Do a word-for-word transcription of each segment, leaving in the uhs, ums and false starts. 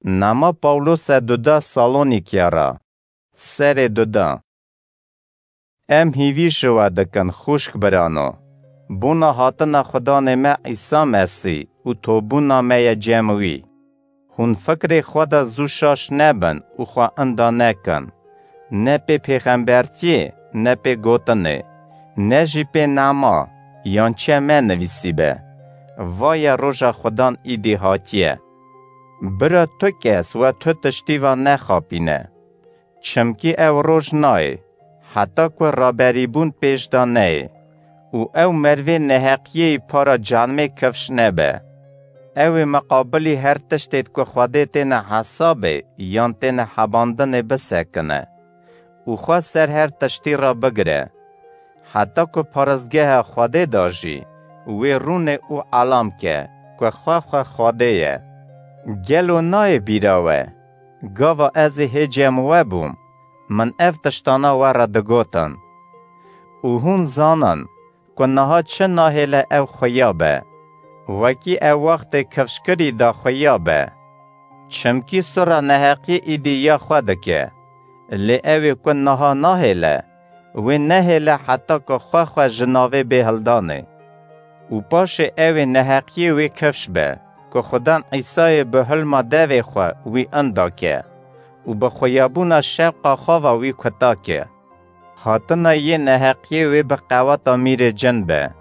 Nama Pawlose duda Salonîkiya ra. Serê duda. Em hîvî ji we dikin, xwişk birano, bona hatina Xudanê me Îsa Mesîh û tobûna me ye cem wî. Hûn fikrê xwe de zû şaş nebin û xwe inda nekin. Ne pê pêxembertiyê, ne pê gotinê, ne jî pê nema yan çe me nivîsîbe. Vaye roja Xudan îdî hatiye. Bira tu kes we tu tiştî va nexapîne. Çimkî ew roj nayê, heta ku raberîbûn pêş de neyê û ew mervê neheqiyê para canmê kifş nebe. Ew ê miqabilî her tiştê ku Xwedê têne hesabê yan têne hebandinê bisekine û xwe ser her tiştî re bigire. Heta ku paristgeha Xwedê de jî wê rûnê û elam ke ku xwe xwe Xwedê ye. Gelo nayê bîra we? Gava ez ê hê cem we bûm, min ev tiştana we re digotin. Û hûn zanin ku niha çi nahêle ew xuya be, wekî ew wextê kifşkirî de xuya be. Çimkî sura neheqiyê îdî ya xwe dike. Lê ew ê ku niha nahêle, wê nehêle heta ku xwe xwe ji navê bê hildanê. Û paşê ew ê neheqiyê wê kifş be, ku Xudan Îsayê bi hilma devê xwe wî inda ke û bi xuyabûna şewqa xwe ve wî kuta ke. Hatina yê neheqiyê wê bi qeweta mîrê cin be.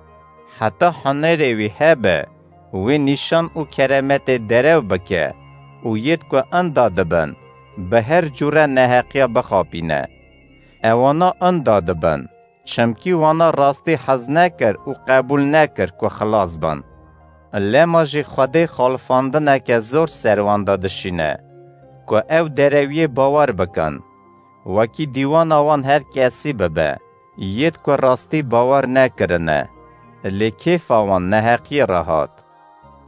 Heta hunerê wî hebe, wê nîşan û keremetê derew bike û yêd ku inda dibin, bi her cûre neheqiya bixapîne. Ewana inda dibin, çimkî wana rastî hez nekir û qebûl nekir ku xilas bin. Lema jî Xwedê xalifandineke zor ser wan de dişîne, ku ew derewiyê bawer bikin. Wekî dîwana wan her kesî bibe, yêd ku rastî bawer nekirine, lê kêfa wan neheqiyê re hat.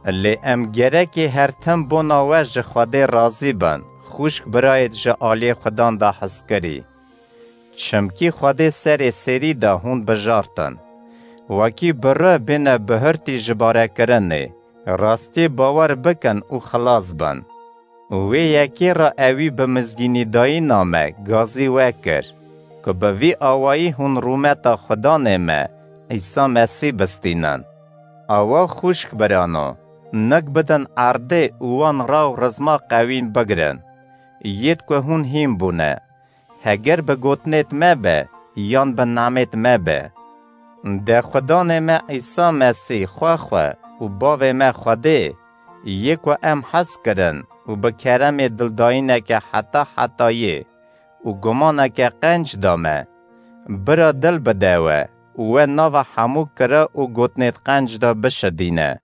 Lê em gerekê her tim bona we ji Xwedê razî bin, xwişk birayêd ji aliyê Xudan de hizkirî. Çimkî Xwedê serê sêrî de hûn bijartin. Wekî bire bêne bihurtî ji barekirinê, rastiyê bawer bikin û xilas bin. Wê yekê re ewî bi mizgînîdayîna me gazî wekir, ku bi vî awayî hûn rûmeta Xudanê me, Îsa Mesîh bistînin. Awa xwişk birano, nik bidin erdê û wan raw rizma qewîn bigrin. Yêd ku hûn hîn bûne. Heger bi gotinêt me be, yan bi namêt me be. De Xudanê me Îsa Mesîh xwe xwe û bavê me Xwedê, yê ku em hez kirin û bi keremê dildayîneke heta hetayê û gumaneke qenc da me, bira dil bide we û we nava hemû kira û gotinêt qenc de bişidîne.